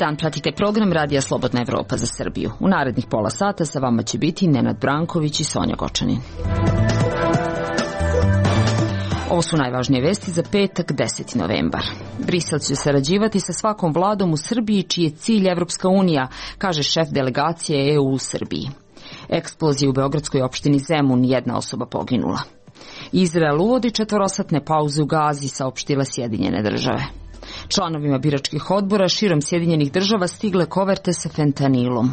dan pratite program Radija Slobodna Evropa za Srbiju. U narednih pola sata sa vama će biti Nenad Branković i Sonja Gočanin. Ovo su najvažnije vesti za petak, 10. novembar. Brisel će sarađivati sa svakom vladom u Srbiji čiji je cilj Evropska unija, kaže šef delegacije EU u Srbiji. Eksplozija u beogradskoj opštini Zemun, jedna osoba poginula. Izrael uvodi 4-satne pauze u Gazi, saopštile Sjedinjene države. Članovima biračkih odbora širom Sjedinjenih država stigle koverte sa fentanilom.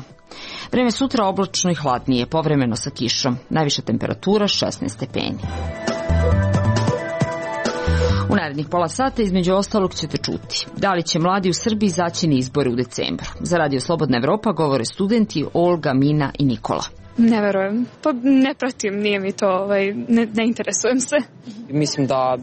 Vreme sutra oblačno i hladnije, povremeno sa kišom. Najviša temperatura 16 stepeni. U narednih pola sata između ostalog ćete čuti da li će mladi u Srbiji izaći na izbore u decembru. Za Radio Slobodna Evropa govore studenti Olga, Mina i Nikola. Ne verujem. Pa ne pratim, nije mi to, ne interesujem se. Mislim da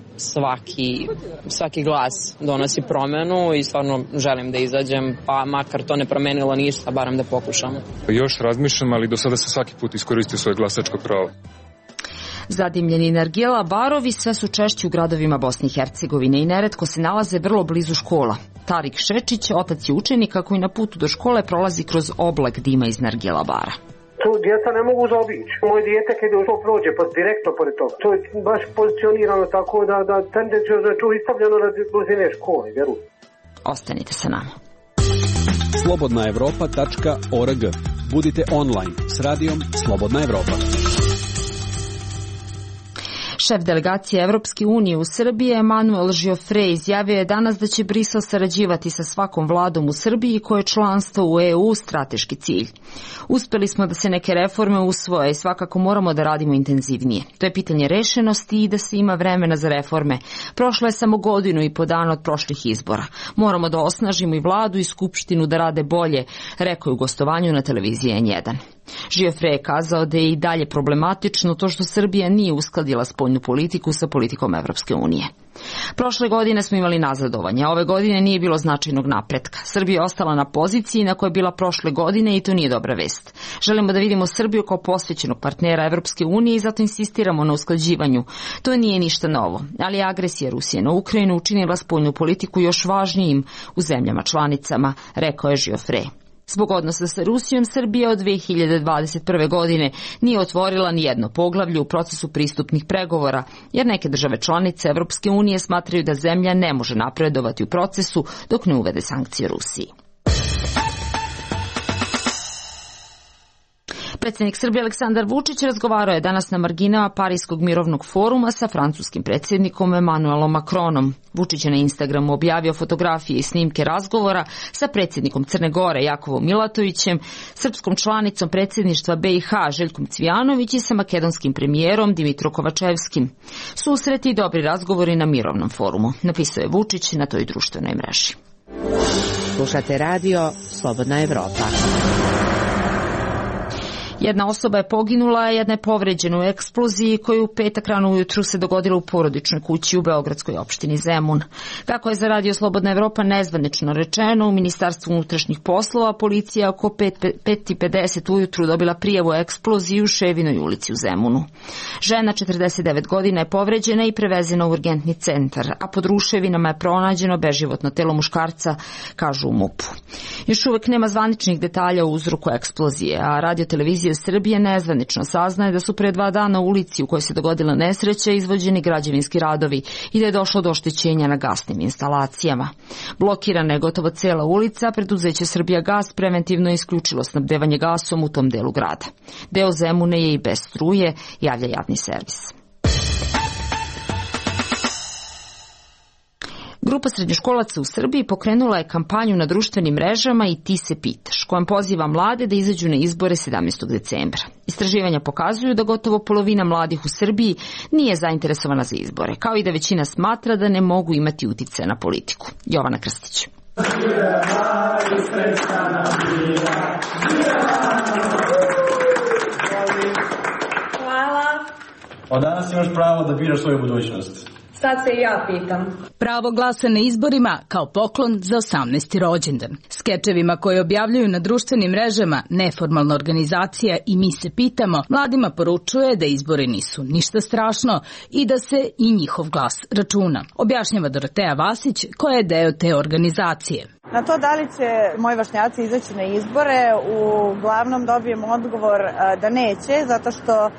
svaki glas donosi promenu i stvarno želim da izađem, pa makar to ne promenilo ništa, barem da pokušamo. Još razmišljam, ali do sada se svaki put iskoristio svoje glasačko pravo. Zadimljeni nargila barovi sve su češći u gradovima Bosne i Hercegovine i neretko se nalaze vrlo blizu škola. Tarik Šečić, otac je učenika koji na putu do škole prolazi kroz oblak dima iz nargila bara. To djeca ne mogu zaobići. Moje dijete kada to prođe direktno pored toga. To je baš pozicionirano tako da tendencijozno je to istavljeno na blizine škole, vjerujem. Ostanite sa nama. slobodnaevropa.org. Budite online s radijom Slobodna Evropa. Šef delegacije Evropske unije u Srbiji Emanuel Žiofre izjavio je danas da će Brisel sarađivati sa svakom vladom u Srbiji koje je članstvo u EU strateški cilj. Uspeli smo da se neke reforme usvoje i svakako moramo da radimo intenzivnije. To je pitanje rešenosti i da se ima vremena za reforme. Prošlo je samo 1.5 godina od prošlih izbora. Moramo da osnažimo i vladu i skupštinu da rade bolje, rekao je u gostovanju na televiziji N1. Žiofre je kazao da je i dalje problematično to što Srbija nije uskladila spoljnu politiku sa politikom Evropske unije. Prošle godine smo imali nazadovanje, a ove godine nije bilo značajnog napretka. Srbija je ostala na poziciji na kojoj je bila prošle godine i to nije dobra vest. Želimo da vidimo Srbiju kao posvećenog partnera Evropske unije i zato insistiramo na usklađivanju. To nije ništa novo, ali agresija Rusije na Ukrajinu učinila spoljnu politiku još važnijim u zemljama članicama, rekao je Žiofre. Zbog odnosa sa Rusijom, Srbija od 2021. godine nije otvorila ni jedno poglavlje u procesu pristupnih pregovora, jer neke države članice Evropske unije smatraju da zemlja ne može napredovati u procesu dok ne uvede sankcije Rusiji. Predsjednik Srbije Aleksandar Vučić razgovarao je danas na marginama Parijskog mirovnog foruma sa francuskim predsjednikom Emanuelom Macronom. Vučić je na Instagramu objavio fotografije i snimke razgovora sa predsjednikom Crne Gore Jakovom Milatovićem, srpskom članicom predsjedništva BiH Željkom Cvijanović i sa makedonskim premijerom Dimitro Kovačevskim. Susreti i dobri razgovori na mirovnom forumu, napisao je Vučić na toj društvenoj mreži. Slušate radio Slobodna Evropa. Jedna osoba je poginula, a jedna je povređena u eksploziji koju u petak rano ujutru se dogodila u porodičnoj kući u beogradskoj opštini Zemun. Kako je za Radio Slobodna Evropa nezvanično rečeno, u Ministarstvu unutrašnjih poslova policija oko 5:50 ujutru dobila prijavu o eksploziji u Ševinoj ulici u Zemunu. Žena 49 godina je povređena i prevezena u urgentni centar, a pod ruševinama je pronađeno beživotno telo muškarca, kažu u MUP-u. Još uvek nema zvaničnih detalja o uzroku eksplozije, a radiotelevizija Srbije nezvanično saznaje da su pre 2 dana u ulici u kojoj se dogodila nesreća izvođeni građevinski radovi i da je došlo do oštećenja na gasnim instalacijama. Blokirana je gotovo cela ulica, a preduzeće Srbija Gas preventivno je isključilo snabdevanje gasom u tom delu grada. Deo Zemune je i bez struje, javlja javni servis. Grupa srednjoškolaca u Srbiji pokrenula je kampanju na društvenim mrežama i Ti se pitaš, kojom poziva mlade da izađu na izbore 17. decembra. Istraživanja pokazuju da gotovo polovina mladih u Srbiji nije zainteresovana za izbore, kao i da većina smatra da ne mogu imati uticaja na politiku. Jovana Krstić. Hvala. Od danas imaš pravo da biraš svoju budućnost. Sad se i ja pitam. Pravo glasa na izborima kao poklon za 18. rođendan. Skečevima koje objavljuju na društvenim mrežama neformalna organizacija I mi se pitamo, mladima poručuje da izbori nisu ništa strašno i da se i njihov glas računa. Objašnjava Doroteja Vasić, koja je deo te organizacije. Na to da li će moji vršnjaci izaći na izbore, uglavnom dobijem odgovor da neće, zato što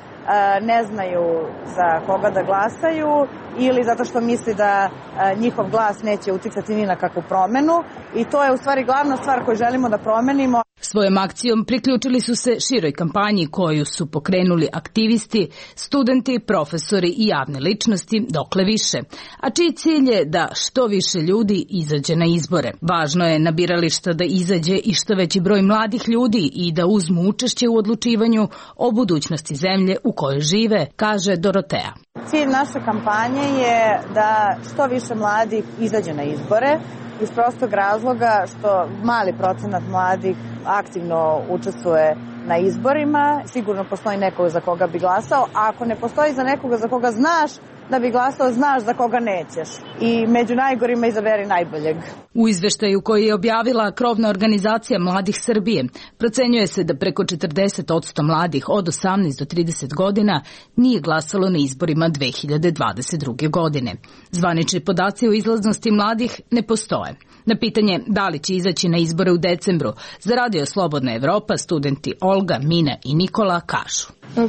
ne znaju za koga da glasaju ili zato što misli da njihov glas neće uticati ni na kakvu promenu i to je u stvari glavna stvar koju želimo da promenimo. Svojom akcijom priključili su se široj kampanji koju su pokrenuli aktivisti, studenti, profesori I javne ličnosti, dokle više, a čiji cilj je da što više ljudi izađe na izbore. Važno je na birališta da izađe I što veći broj mladih ljudi I da uzmu učešće u odlučivanju o budućnosti zemlje u kojoj žive, kaže Doroteja. Cilj naše kampanje je da što više mladih izađe na izbore, iz prostog razloga što mali procenat mladih aktivno učestvuje na izborima. Sigurno postoji neko za koga bi glasao, a ako ne postoji za nekoga za koga znaš da bi glasao, znaš za koga nećeš. I među najgorima izaberi najboljeg. U izveštaju koji je objavila krovna organizacija Mladih Srbije, procenjuje se da preko 40% mladih od 18 do 30 godina nije glasalo na izborima 2022. godine. Zvanični podaci o izlaznosti mladih ne postoje. Na pitanje da li će izaći na izbore u decembru, za Radio Slobodna Evropa studenti Olga, Mina I Nikola kažu.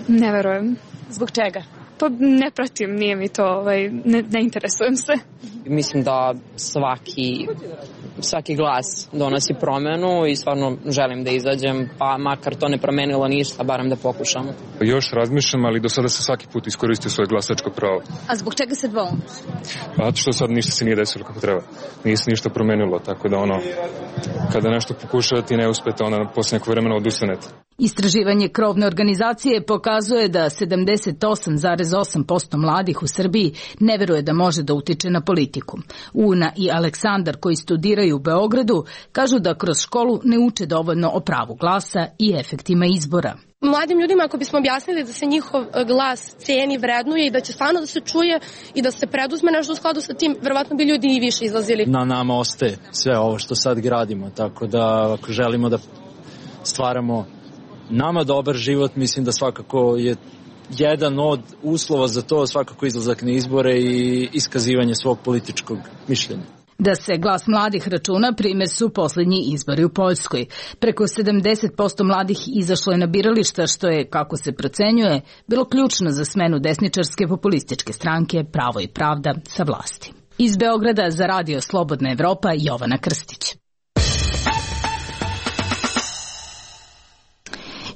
Ne verujem. Zbog čega? Pa ne pratim, nije mi to, ne interesujem se. Mislim da svaki glas donosi promenu I stvarno želim da izađem, pa makar to ne promenilo ništa, barem da pokušamo. Još razmišljam, ali do sada se svaki put iskoristio svoje glasačko pravo. A zbog čega se dvoum? Pa što sad ništa se nije desilo kako treba. Nije se ništa promenilo, tako da kada nešto pokušavate I ne uspete, onda posle nekog vremena odustanete. Istraživanje krovne organizacije pokazuje da 78,8% mladih u Srbiji ne veruje da može da utiče na politiku. Una I Aleksandar, koji studiraju u Beogradu, kažu da kroz školu ne uče dovoljno o pravu glasa I efektima izbora. Mladim ljudima ako bismo objasnili da se njihov glas ceni, vrednuje I da će stvarno da se čuje I da se preduzme nešto u skladu sa tim, verovatno bi ljudi I više izlazili. Na nama ostaje sve ovo što sad gradimo, tako da ako želimo da stvaramo nama dobar život, mislim da svakako je jedan od uslova za to svakako izlazak na izbore I iskazivanje svog političkog mišljenja. Da se glas mladih računa, primjer su posljednji izbori u Poljskoj. Preko 70% mladih izašlo je na birališta, što je, kako se procenjuje, bilo ključno za smenu desničarske populističke stranke Pravo I pravda sa vlasti. Iz Beograda za Radio Slobodna Evropa, Jovana Krstić.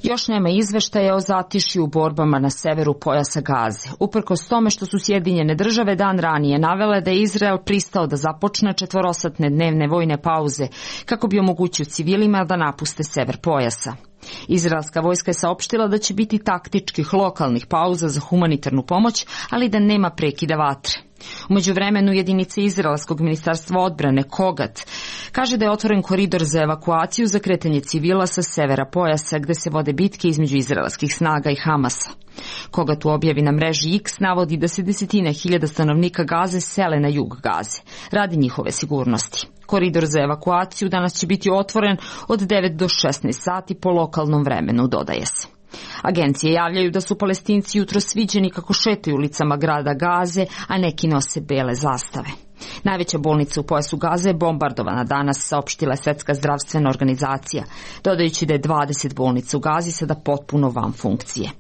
Još nema izveštaja o zatišju u borbama na severu pojasa Gaze. Uprkos tome što su Sjedinjene države dan ranije navele da je Izrael pristao da započne 4-satne dnevne vojne pauze kako bi omogućio civilima da napuste sever pojasa. Izraelska vojska je saopštila da će biti taktičkih lokalnih pauza za humanitarnu pomoć, ali da nema prekida vatre. U međuvremenu jedinice Izraelskog ministarstva odbrane Kogat kaže da je otvoren koridor za evakuaciju za kretanje civila sa severa pojasa gde se vode bitke između izraelskih snaga I Hamasa. Kogat u objavi na mreži X navodi da se desetine hiljada stanovnika Gaze sele na jug Gaze radi njihove sigurnosti. Koridor za evakuaciju danas će biti otvoren od 9 do 16 sati po lokalnom vremenu, dodaje se. Agencije javljaju da su Palestinci jutros viđeni kako šetaju ulicama grada Gaze, a neki nose bele zastave. Najveća bolnica u pojasu Gaze je bombardovana danas, saopštila je Svetska zdravstvena organizacija, dodajući da je 20 bolnica u Gazi sada potpuno van funkcije.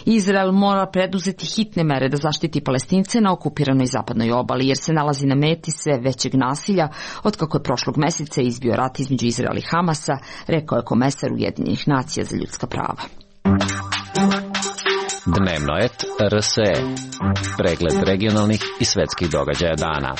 Izrael mora preduzeti hitne mere da zaštiti Palestince na okupiranoj zapadnoj obali, jer se nalazi na meti sve većeg nasilja otkako je prošlog meseca izbio rat između Izraela I Hamasa, rekao je komesar Ujedinjenih nacija za ljudska prava. Dnevnoet RSE. Pregled regionalnih I svetskih događaja dana.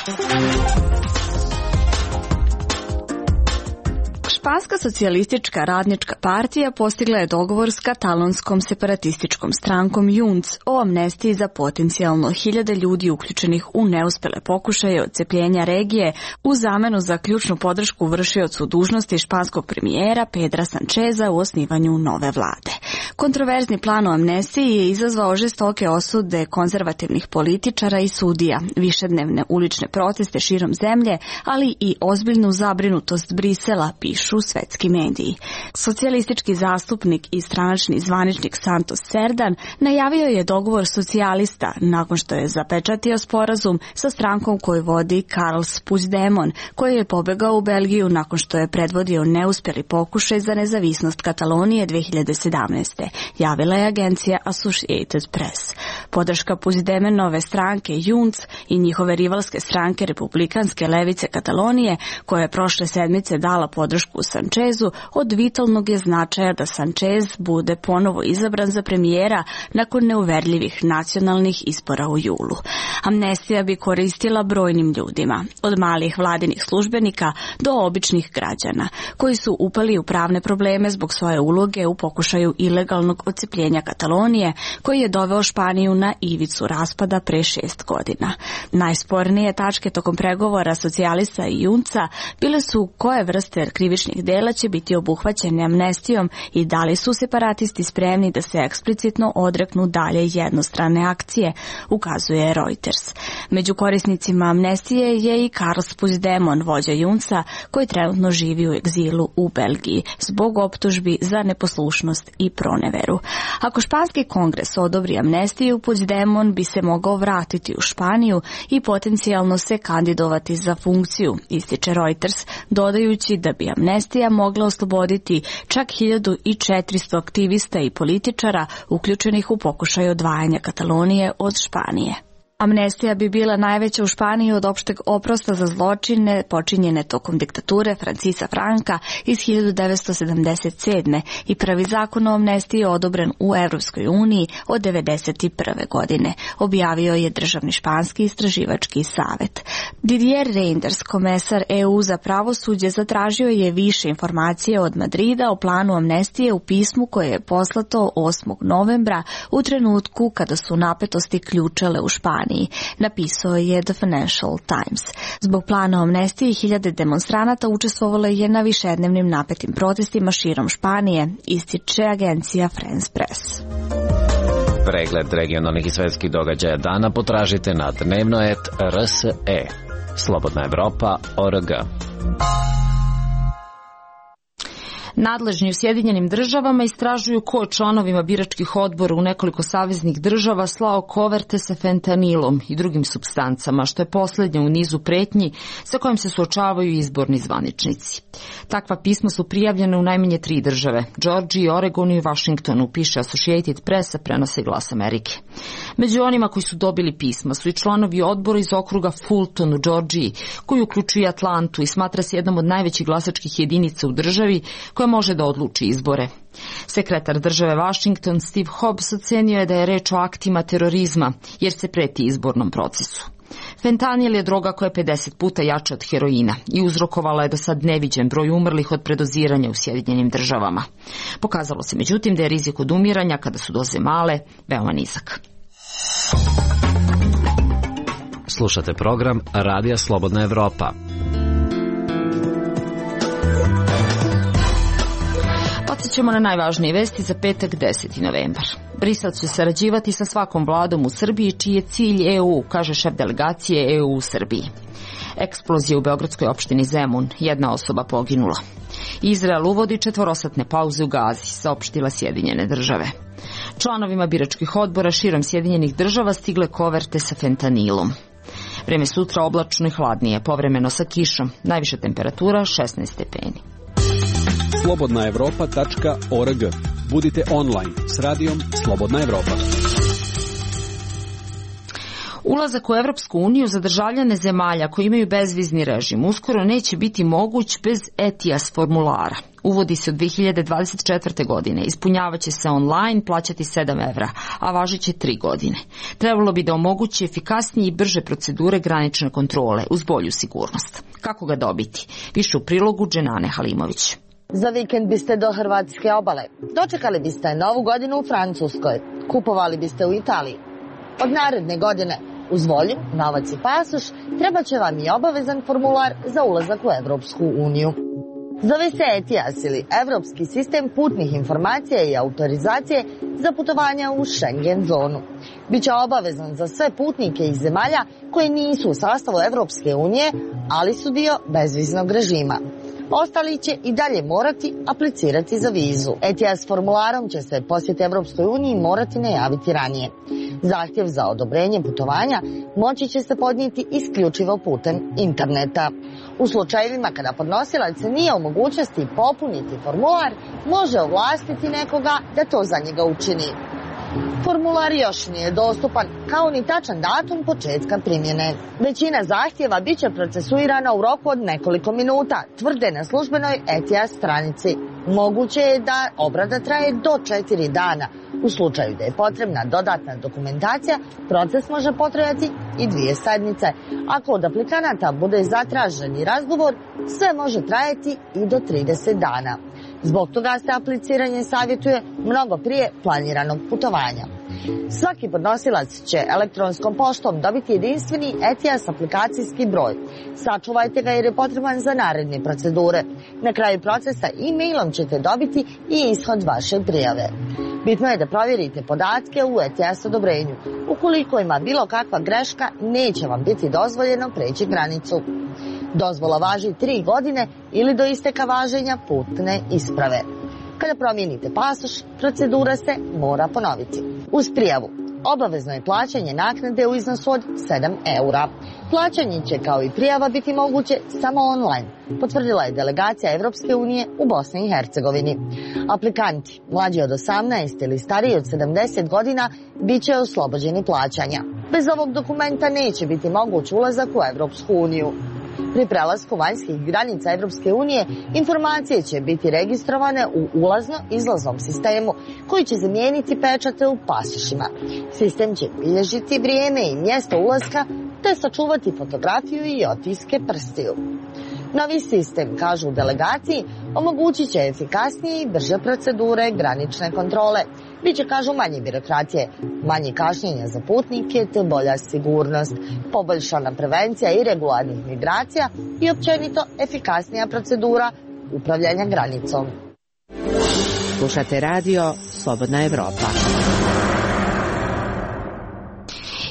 Španska socijalistička radnička partija postigla je dogovor s katalonskom separatističkom strankom Junts o amnestiji za potencijalno 1000 ljudi uključenih u neuspele pokušaje odcepljenja regije u zamenu za ključnu podršku vršiocu dužnosti španskog premijera Pedra Sancheza u osnivanju nove vlade. Kontroverzni plan o amnestiji je izazvao žestoke osude konzervativnih političara i sudija, višednevne ulične proteste širom zemlje, ali i ozbiljnu zabrinutost Brisela, pišu svetski mediji. Socijalistički zastupnik i stranačni zvaničnik Santos Serdan najavio je dogovor socijalista nakon što je zapečatio sporazum sa strankom koju vodi Carles Puigdemont, koji je pobegao u Belgiju nakon što je predvodio neuspjeli pokušaj za nezavisnost Katalonije 2017. Javila je agencija Associated Press. Podrška Puigdemontove stranke Junts i njihove rivalske stranke Republikanske levice Katalonije, koja je prošle sedmice dala podršku Sanchezu, od vitalnog je značaja da Sanchez bude ponovo izabran za premijera nakon neuverljivih nacionalnih izbora u julu. Amnestija bi koristila brojnim ljudima, od malih vladinih službenika do običnih građana, koji su upali u pravne probleme zbog svoje uloge u pokušaju ilegalnog odcepljenja Katalonije, koji je doveo Španiju na ivicu raspada pre 6 godina. Najspornije tačke tokom pregovora socijalista i Junca bile su koje vrste krivičnih dela će biti obuhvaćene amnestijom i da li su separatisti spremni da se eksplicitno odreknu dalje jednostrane akcije, ukazuje Reuters. Među korisnicima amnestije je i Carles Puigdemont, vođa Junca, koji trenutno živi u egzilu u Belgiji zbog optužbi za neposlušnost i proneveru. Ako španski kongres odobri amnestiju, Puigdemont bi se mogao vratiti u Španiju i potencijalno se kandidovati za funkciju, ističe Reuters, dodajući da bi amnestija mogla osloboditi čak 1400 aktivista i političara uključenih u pokušaj odvajanja Katalonije od Španije. Amnestija bi bila najveća u Španiji od opšteg oprosta za zločine počinjene tokom diktature Francisa Franka iz 1977. i prvi zakon o amnestiji je odobren u Evropskoj uniji od 1991. godine, objavio je državni španski istraživački savet. Didier Reynders, komesar EU za pravosuđe, zatražio je više informacije od Madrida o planu amnestije u pismu koje je poslato 8. novembra u trenutku kada su napetosti ključale u Španiji. Napisao je The Financial Times. Zbog plana o amnestiji 1000 demonstranata učestvovalo je na višednevnim napetim protestima širom Španije, ističe agencija France Press. Pregled regionalnih i svetskih događaja dana potražite na dnevnoet.rse. Slobodna Evropa.org. Nadležni u Sjedinjenim državama istražuju ko je članovima biračkih odbora u nekoliko saveznih država slao koverte sa fentanilom i drugim supstancama, što je posljednja u nizu pretnji sa kojim se suočavaju izborni zvaničnici. Takva pisma su prijavljene u najmanje 3 države, Georgiji, Oregonu i Washingtonu, piše Associated Press, prenose Glas Amerike. Među onima koji su dobili pisma su i članovi odbora iz okruga Fulton u Georgiji, koji uključuje Atlantu i smatra se jednom od najvećih glasačkih jedinica u državi koja može da odluči izbore. Sekretar države Washington Steve Hobbs ocenio je da je reč o aktima terorizma, jer se preti izbornom procesu. Fentanil je droga koja je 50 puta jača od heroina i uzrokovala je do sad neviđen broj umrlih od predoziranja u Sjedinjenim državama. Pokazalo se međutim da je rizik od umiranja kada su doze male veoma nizak. Slušate program Radija Slobodna Evropa. Podsjećamo na najvažnije vesti za petak 10. novembar. Brisel će sarađivati sa svakom vladom u Srbiji čiji je cilj EU, kaže šef delegacije EU u Srbiji. Eksplozija u beogradskoj opštini Zemun, 1 osoba poginula. Izrael uvodi 4-satne pauze u Gazi, saopštila Sjedinjene države. Članovima biračkih odbora širom Sjedinjenih država stigle koverte sa fentanilom. Vreme sutra oblačno i hladnije, povremeno sa kišom, najviša temperatura 16 stepeni. slobodnaevropa.org. Budite online s radijom Slobodna Evropa. Ulazak u Evropsku uniju za državljane zemalja koji imaju bezvizni režim uskoro neće biti moguć bez ETIAS formulara. Uvodi se od 2024. godine, ispunjavaće se online, plaćati 7 evra, a važiće 3 godine. Trebalo bi da omogući efikasnije i brže procedure granične kontrole uz bolju sigurnost. Kako ga dobiti? Više u prilogu Dženane Halimović. Za vikend biste do Hrvatske obale. Dočekali biste Novu godinu u Francuskoj. Kupovali biste u Italiji. Od naredne godine, uz volju, novac i pasoš, treba će vam i obavezan formular za ulazak u Evropsku uniju. Zove se ETIAS ili Evropski sistem putnih informacija i autorizacije za putovanja u Schengen zonu. Biće obavezan za sve putnike iz zemalja koje nisu u sastavu Evropske unije, ali su dio bezviznog režima. Ostali će i dalje morati aplicirati za vizu. ETIAS formularom će se posjet Evropskoj uniji morati najaviti ranije. Zahtjev za odobrenje putovanja moći će se podnijeti isključivo putem interneta. U slučajevima kada podnosilac nije u mogućnosti popuniti formular, može ovlastiti nekoga da to za njega učini. Formular još nije dostupan, kao ni tačan datum početka primjene. Većina zahtjeva bit će procesuirana u roku od nekoliko minuta, tvrde na službenoj ETIAS stranici. Moguće je da obrada traje do 4 dana. U slučaju da je potrebna dodatna dokumentacija, proces može potrajati i 2 sedmice. Ako od aplikanata bude zatraženi razgovor, sve može trajati i do 30 dana. Zbog toga se apliciranje savjetuje mnogo prije planiranog putovanja. Svaki podnosilac će elektronskom poštom dobiti jedinstveni ETIAS aplikacijski broj. Sačuvajte ga jer je potreban za naredne procedure. Na kraju procesa e-mailom ćete dobiti i ishod vaše prijave. Bitno je da provjerite podatke u ETIAS odobrenju. Ukoliko ima bilo kakva greška, neće vam biti dozvoljeno preći granicu. Dozvola važi 3 godine ili do isteka važenja putne isprave. Kada promijenite pasoš, procedura se mora ponoviti. Uz prijavu obavezno je plaćanje naknade u iznosu od 7 eura. Plaćanje će kao i prijava biti moguće samo online, potvrdila je delegacija Evropske unije u Bosni i Hercegovini. Aplikanti mlađi od 18 ili stariji od 70 godina bit će oslobođeni plaćanja. Bez ovog dokumenta neće biti moguć ulazak u Evropsku uniju. Pri prelasku vanjskih granica Evropske unije informacije će biti registrovane u ulazno-izlaznom sistemu koji će zamijeniti pečate u pasošima. Sistem će bilježiti vrijeme i mjesto ulaska te sačuvati fotografiju i otiske prstiju. Novi sistem, kažu u delegaciji, omogućit će efikasnije i brže procedure granične kontrole. Biće, kažu, manje birokratije, manje kašnjenja za putnike te bolja sigurnost, poboljšana prevencija irregularnih migracija i općenito efikasnija procedura upravljanja granicom. Slušate radio Slobodna Evropa.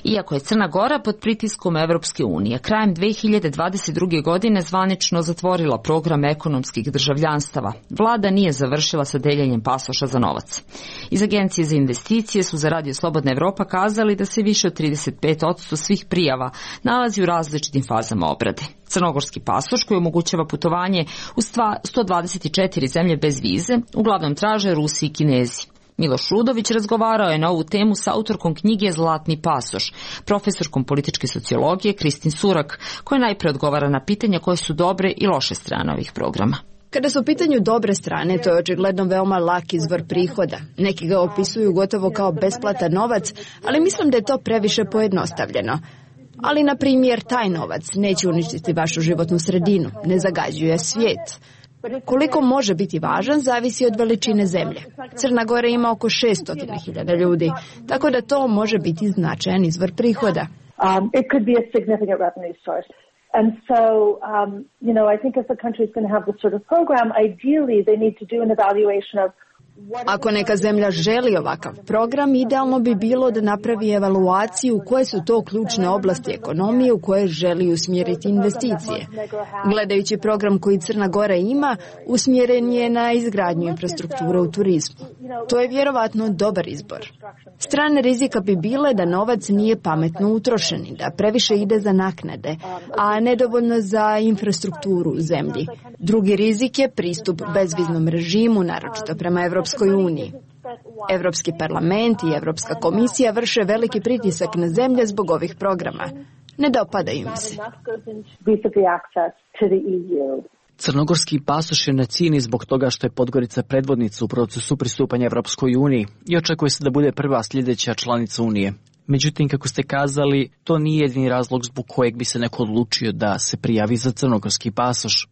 Iako je Crna Gora pod pritiskom Evropske unije, krajem 2022. godine zvanično zatvorila program ekonomskih državljanstava, vlada nije završila sa deljenjem pasoša za novac. Iz Agencije za investicije su za Radio Slobodna Evropa kazali da se više od 35% svih prijava nalazi u različitim fazama obrade. Crnogorski pasoš koji omogućava putovanje u 124 zemlje bez vize uglavnom traže Rusi i Kinezi. Miloš Rudović razgovarao je na ovu temu sa autorkom knjige Zlatni pasoš, profesorkom političke sociologije Kristin Surak, koja najpre odgovara na pitanja koje su dobre i loše strane ovih programa. Kada su u pitanju dobre strane, to je očigledno veoma lak izvor prihoda. Neki ga opisuju gotovo kao besplatan novac, ali mislim da je to previše pojednostavljeno. Ali, na primjer, taj novac neće uništiti vašu životnu sredinu, ne zagađuje svijet. Koliko može biti važan zavisi od veličine zemlje. Crna Gora ima oko 600.000 ljudi, tako da to može biti značajan izvor prihoda. It could be a significant revenue source. And so, I think if the country is going to have this sort of program, ideally they need to do an evaluation of Ako neka zemlja želi ovakav program, idealno bi bilo da napravi evaluaciju koje su to ključne oblasti ekonomije u koje želi usmjeriti investicije. Gledajući program koji Crna Gora ima, usmjeren je na izgradnju infrastrukture u turizmu. To je vjerovatno dobar izbor. Strane rizika bi bile da novac nije pametno utrošen i da previše ide za naknade, a nedovoljno za infrastrukturu u zemlji. Drugi rizik je pristup bezviznom režimu, naročito prema Evropskoj uniji. Evropski parlament i Evropska komisija vrše veliki pritisak na zemlje zbog ovih programa. Ne dopadaju im se. Crnogorski pasoš je na cijeni zbog toga što je Podgorica predvodnica u procesu pristupanja Evropskoj uniji i očekuje se da bude prva sljedeća članica Unije. Međutim, kako ste kazali, to nije jedini razlog zbog kojeg bi se neko odlučio da se prijavi za crnogorski pasoš.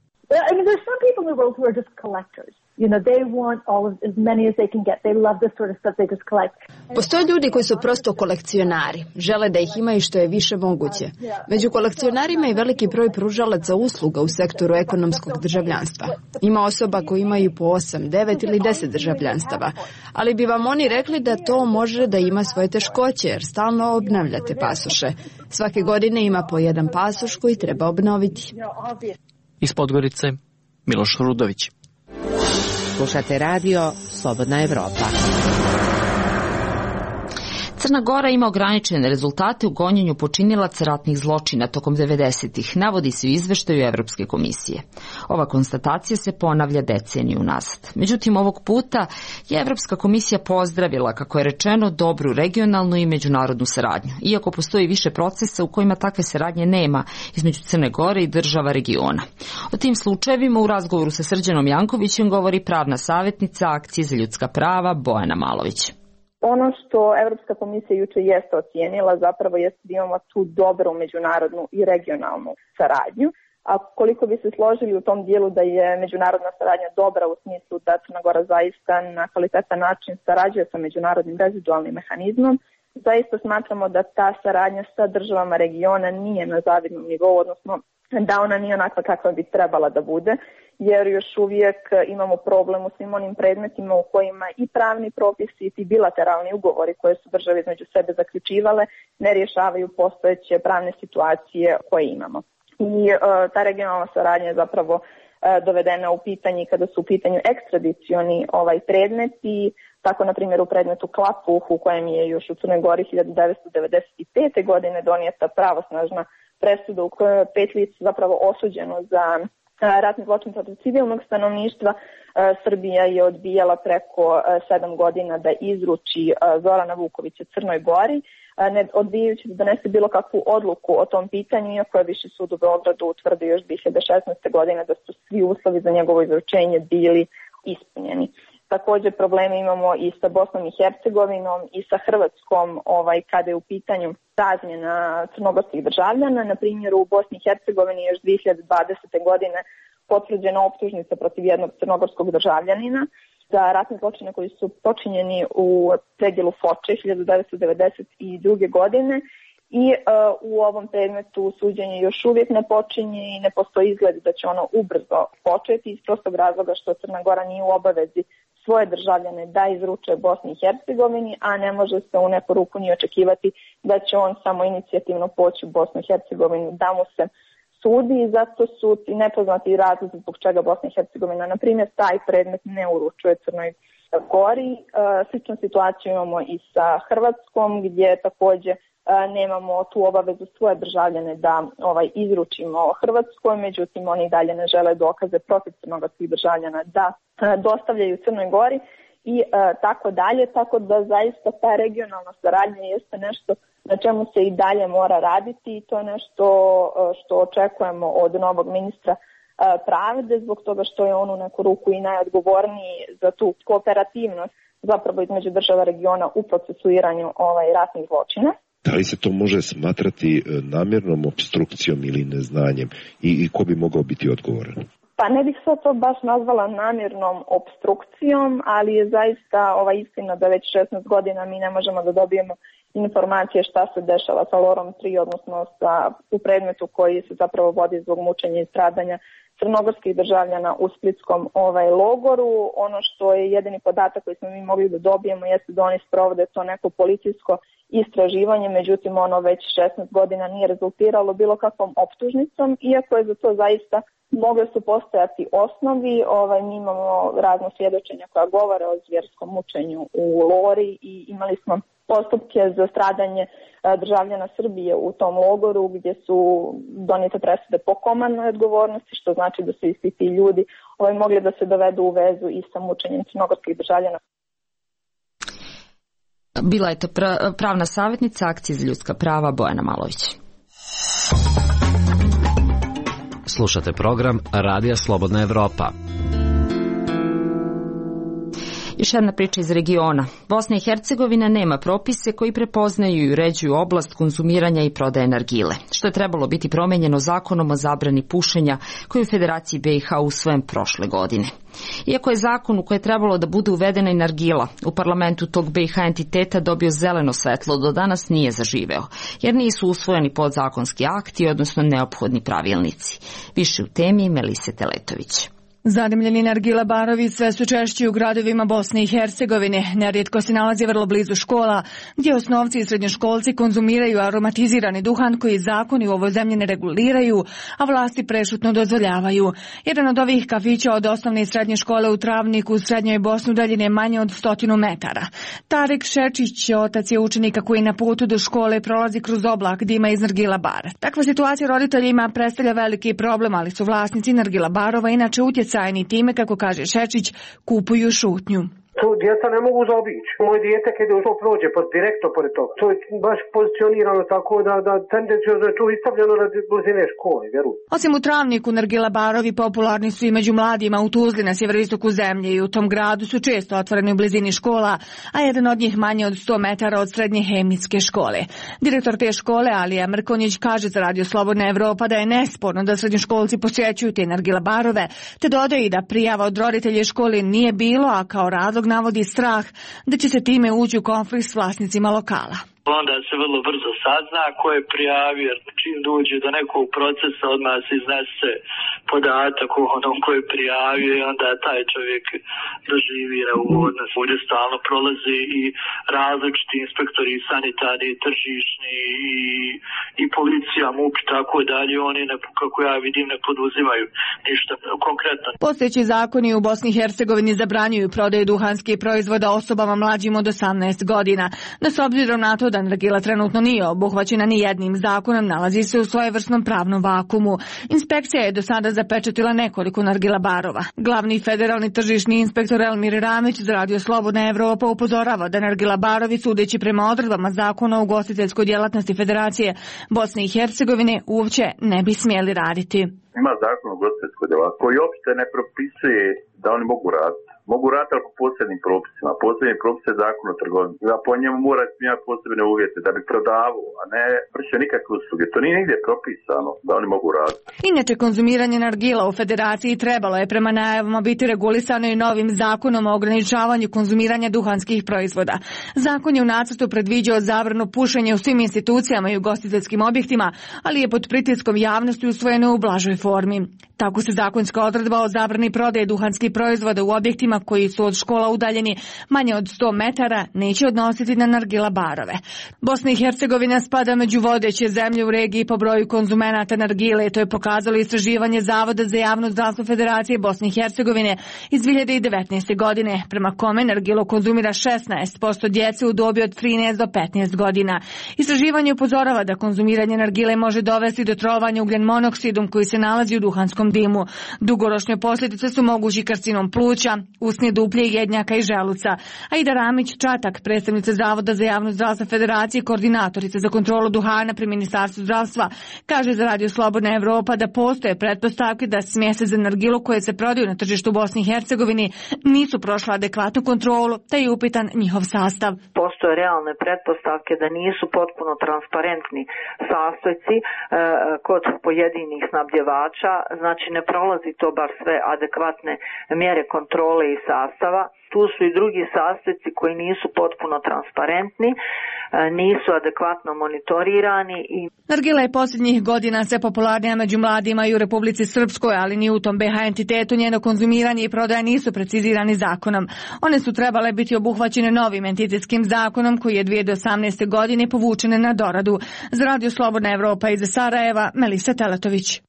They want as many as they can get. They love the sort of stuff they just collect. Postoje ljudi koji su prosto kolekcionari. Žele da ih imaju što je više moguće. Među kolekcionarima je veliki broj pružalaca usluga u sektoru ekonomskog državljanstva. Ima osoba koji imaju po 8, 9 ili 10 državljanstava. Ali bi vam oni rekli da to može da ima svoje teškoće jer stalno obnavljate pasoše. Svake godine ima po jedan pasoš koji treba obnoviti. Iz Podgorice, Miloš Rudović. Slušate radio Slobodna Evropa. Crna Gora ima ograničene rezultate u gonjenju počinilaca ratnih zločina tokom 90-ih, navodi se u izveštaju Evropske komisije. Ova konstatacija se ponavlja deceniju nazad. Međutim, ovog puta je Evropska komisija pozdravila, kako je rečeno, dobru regionalnu i međunarodnu saradnju, iako postoji više procesa u kojima takve saradnje nema između Crne Gore i država regiona. O tim slučajevima u razgovoru sa Srđanom Jankovićem govori pravna savjetnica Akcije za ljudska prava Bojana Malović. Ono što Evropska komisija juče jeste ocijenila zapravo jeste da imamo tu dobru međunarodnu i regionalnu saradnju. A koliko bi se složili u tom dijelu da je međunarodna saradnja dobra u smislu da Crna Gora zaista na kvalitetan način sarađuje sa međunarodnim rezidualnim mehanizmom, zaista smatramo da ta saradnja sa državama regiona nije na zavidnom nivou, odnosno da ona nije onakva kakva bi trebala da bude, jer još uvijek imamo problem u svim onim predmetima u kojima i pravni propisi i ti bilateralni ugovori koje su države između sebe zaključivale ne rješavaju postojeće pravne situacije koje imamo. I ta regionalna saradnja je zapravo dovedena u pitanje kada su u pitanju ekstradicioni predmeti, tako na primjer u predmetu Klapuh u kojem je još u Crnoj Gori 1995. godine donijeta pravosnažna presuda u kojoj je 5 lica zapravo osuđeno za ratni zločin protiv civilnog stanovništva. Srbija je odbijala preko 7 godina da izruči Zorana Vukovića Crnoj Gori, ne odbijajući da donese bilo kakvu odluku o tom pitanju, iako je Viši sud u Beogradu utvrdio još 2016. godine da su svi uslovi za njegovo izručenje bili ispunjeni. Također probleme imamo i sa Bosnom i Hercegovinom i sa Hrvatskom kada je u pitanju razmjena crnogorskih državljana. Na primjer, u Bosni i Hercegovini još 2020. godine potvrđena optužnica protiv jednog crnogorskog državljanina za ratne zločine koji su počinjeni u predjelu Foče 1992. godine. I u ovom predmetu suđenje još uvijek ne počinje i ne postoji izgled da će ono ubrzo početi iz prostog razloga što Crna Gora nije u obavezi svoje državljane da izruče Bosni i Hercegovini, a ne može se u neku ruku ni očekivati da će on samo inicijativno poći u Bosnu i Hercegovinu da mu se sudi i zato su i nepoznati razlozi zbog čega Bosna i Hercegovina, na primjer, taj predmet ne uručuje Crnoj Gori. Sličnu situaciju imamo i sa Hrvatskom gdje također nemamo tu obavezu svoje državljane da izručimo Hrvatskoj, međutim oni dalje ne žele dokaze protiv crnogorskih državljana da dostavljaju Crnoj Gori i tako dalje, tako da zaista ta regionalna saradnja jeste nešto na čemu se i dalje mora raditi i to je nešto što očekujemo od novog ministra pravde, zbog toga što je on u neku ruku i najodgovorniji za tu kooperativnost zapravo između država regiona u procesuiranju ratnih zločina. Da li se to može smatrati namjernom opstrukcijom ili neznanjem i ko bi mogao biti odgovoran? Pa ne bih sad to baš nazvala namjernom opstrukcijom, ali je zaista istina da već 16 godina mi ne možemo da dobijemo informacije šta se dešava sa Lorom 3, odnosno u predmetu koji se zapravo vodi zbog mučenja i stradanja crnogorskih državljana u splitskom logoru. Ono što je jedini podatak koji smo mi mogli da dobijemo jeste da oni sprovode to neko policijsko istraživanje, međutim ono već 16 godina nije rezultiralo bilo kakvom optužnicom, iako je za to zaista mogle su postojati osnovi. Mi imamo razno svjedočenja koja govore o zvjerskom mučenju u Lori i imali smo postupke za stradanje državljana Srbije u tom logoru gdje su donijete presude po komandnoj odgovornosti, što znači da su isti ti ljudi mogli da se dovedu u vezu i sa mučenjem crnogorskih državljana. Bila je to pravna savjetnica Akcije za ljudska prava Bojana Malović. Slušate program Radija Slobodna Evropa. Još jedna priča iz regiona. Bosna i Hercegovina nema propise koji prepoznaju i uređuju oblast konzumiranja i prodaje nargile, što je trebalo biti promenjeno zakonom o zabrani pušenja koji je u Federaciji BiH usvojen prošle godine. Iako je zakon u koje je trebalo da bude uvedena i nargila, u parlamentu tog BiH entiteta dobio zeleno svetlo, do danas nije zaživeo, jer nisu usvojeni podzakonski akti, odnosno neophodni pravilnici. Više u temi Melise Teletović. Zadimljeni nargile barovi sve su češći u gradovima Bosne i Hercegovine. Nerijetko se nalazi vrlo blizu škola, gdje osnovci i srednjoškolci konzumiraju aromatizirani duhan koji zakoni u ovoj zemlji ne reguliraju, a vlasti prešutno dozvoljavaju. Jedan od ovih kafića od osnovne i srednje škole u Travniku u srednjoj Bosni udaljen je manje od 100 metara. Tarik Šečić, otac je učenika koji na putu do škole prolazi kroz oblak dima iz nargila bara. Takva situacija roditeljima predstavlja veliki problem, ali su vlasnici nargila barova inače utjecajni time, kako kaže Šečić, kupuju šutnju. To djeca ne mogu zaobići. Moje dijete kada to prođe direktno pored toga. To je baš pozicionirano tako da tendencijozno je to istavljeno na blizine škole, vjerujem. Osim u Travniku, nargila barovi popularni su i među mladima u Tuzli na sjeveroistoku zemlje i u tom gradu su često otvoreni u blizini škola, a jedan od njih manje od 100 metara od srednje hemijske škole. Direktor te škole, Alija Mrkonjić, kaže za Radio Slobodna Evropa da je nesporno da srednjoškolci posjećuju te nargila barove, te dodaje i da prijava od roditelja škole nije bilo, a kao razlog navodi strah da će se time ući u konflikt s vlasnicima lokala. Onda se vrlo brzo sazna ko je prijavio, jer čim dođe do nekog procesa odmah se iznese podatak o onom ko je prijavio i onda taj čovjek doživi neugodnost. Ovdje stalno prolaze i različiti inspektori, sanitarni, tržišni i policija, MUP i tako dalje. Oni, kako ja vidim, ne poduzimaju ništa konkretno. Postojeći zakoni u Bosni i Hercegovini zabranjuju prodaju duhanskih proizvoda osobama mlađim od 18 godina. No s obzirom na to da nargila trenutno nije obuhvaćena ni jednim zakonom, nalazi se u svojevrsnom pravnom vakumu. Inspekcija je do sada zapečatila nekoliko nargila barova. Glavni federalni tržišni inspektor Elmir Ramić za Radio Slobodna Evropa upozorava da nargila barovi, sudeći prema odredbama zakona o ugostiteljskoj djelatnosti Federacije Bosne i Hercegovine, uopće ne bi smjeli raditi. Ima zakon o ugostiteljskoj djelatnosti koji uopšte ne propisuje da oni mogu raditi. Mogu raditi ali po posebnim propisima. Posebni propis je zakon o trgovini. Da po njemu mora imati posebne uvjete da bi prodavao, a ne vršio nikakve usluge. To nije nigdje propisano da oni mogu raditi. Inače, konzumiranje nargila u Federaciji trebalo je prema najavama biti regulisano i novim zakonom o ograničavanju konzumiranja duhanskih proizvoda. Zakon je u nacrtu predviđao zabranu pušenja u svim institucijama i ugostiteljskim objektima, ali je pod pritiskom javnosti usvojeno u blažoj formi. Tako se zakonska odredba o zabrani prodaje duhanskih proizvoda u objektima koji su od škola udaljeni manje od 100 metara neće odnositi na nargila barove. Bosna i Hercegovina spada među vodeće zemlje u regiji po broju konzumenata nargile. To je pokazalo istraživanje Zavoda za javno zdravstvo Federacije Bosne i Hercegovine iz 2019. godine, prema kome nargilo konzumira 16% djece u dobi od 13 do 15 godina. Istraživanje upozorava da konzumiranje nargile može dovesti do trovanja ugljen monoksidom koji se nalazi u duhanskom dimu. Dugoročne posljedice su mogući karcinom pluća, usne duplje, jednjaka i želuca. Aida Ramić-Čatak, predstavnica Zavoda za javno zdravstvo Federacije, koordinatorica za kontrolu duhana pri Ministarstvu zdravstva, kaže za Radio Slobodna Evropa da postoje pretpostavke da smjese za nargilu koje se prodaju na tržištu Bosni i Hercegovini nisu prošle adekvatnu kontrolu, te je upitan njihov sastav. Postoje realne pretpostavke da nisu potpuno transparentni sastojci kod pojedinih snabdjevača, znači ne prolazi to bar sve adekvatne mjere kontrole i sastava. Tu su i drugi sastojci koji nisu potpuno transparentni, nisu adekvatno monitorirani. Nargila je posljednjih godina sve popularnija među mladima i u Republici Srpskoj, ali ni u tom BiH entitetu njeno konzumiranje i prodaja nisu precizirani zakonom. One su trebale biti obuhvaćene novim entitetskim zakonom koji je 2018. godine povučene na doradu. Za Radio Slobodna Evropa iz Sarajeva, Melisa Teletović.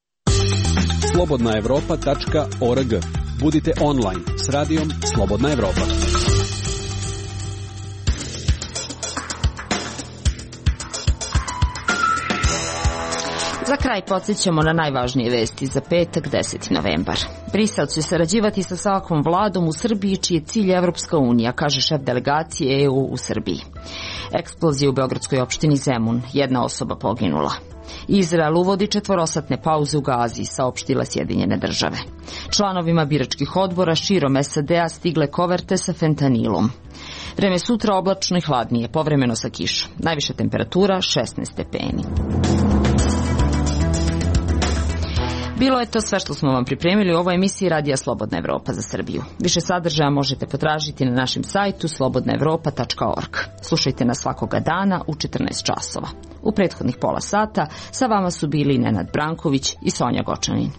slobodnaevropa.org. Budite online s radijom Slobodna Evropa. Za kraj podsjećamo na najvažnije vesti za petak, 10. novembar. Brisel će sarađivati sa svakom vladom u Srbiji čiji je cilj Evropska unija, kaže šef delegacije EU u Srbiji. Eksplozija u beogradskoj opštini Zemun, jedna osoba poginula. Izrael uvodi 4-satne pauze u Gazi, saopštile Sjedinjene države. Članovima biračkih odbora širom SAD-a stigle koverte sa fentanilom. Vreme sutra oblačno i hladnije, povremeno sa kišom. Najviša temperatura 16 stepeni. Bilo je to sve što smo vam pripremili u ovoj emisiji Radija Slobodna Evropa za Srbiju. Više sadržaja možete potražiti na našem sajtu slobodnaevropa.org. Slušajte nas svakoga dana u 14 časova. U prethodnih pola sata sa vama su bili Nenad Branković i Sonja Gočanin.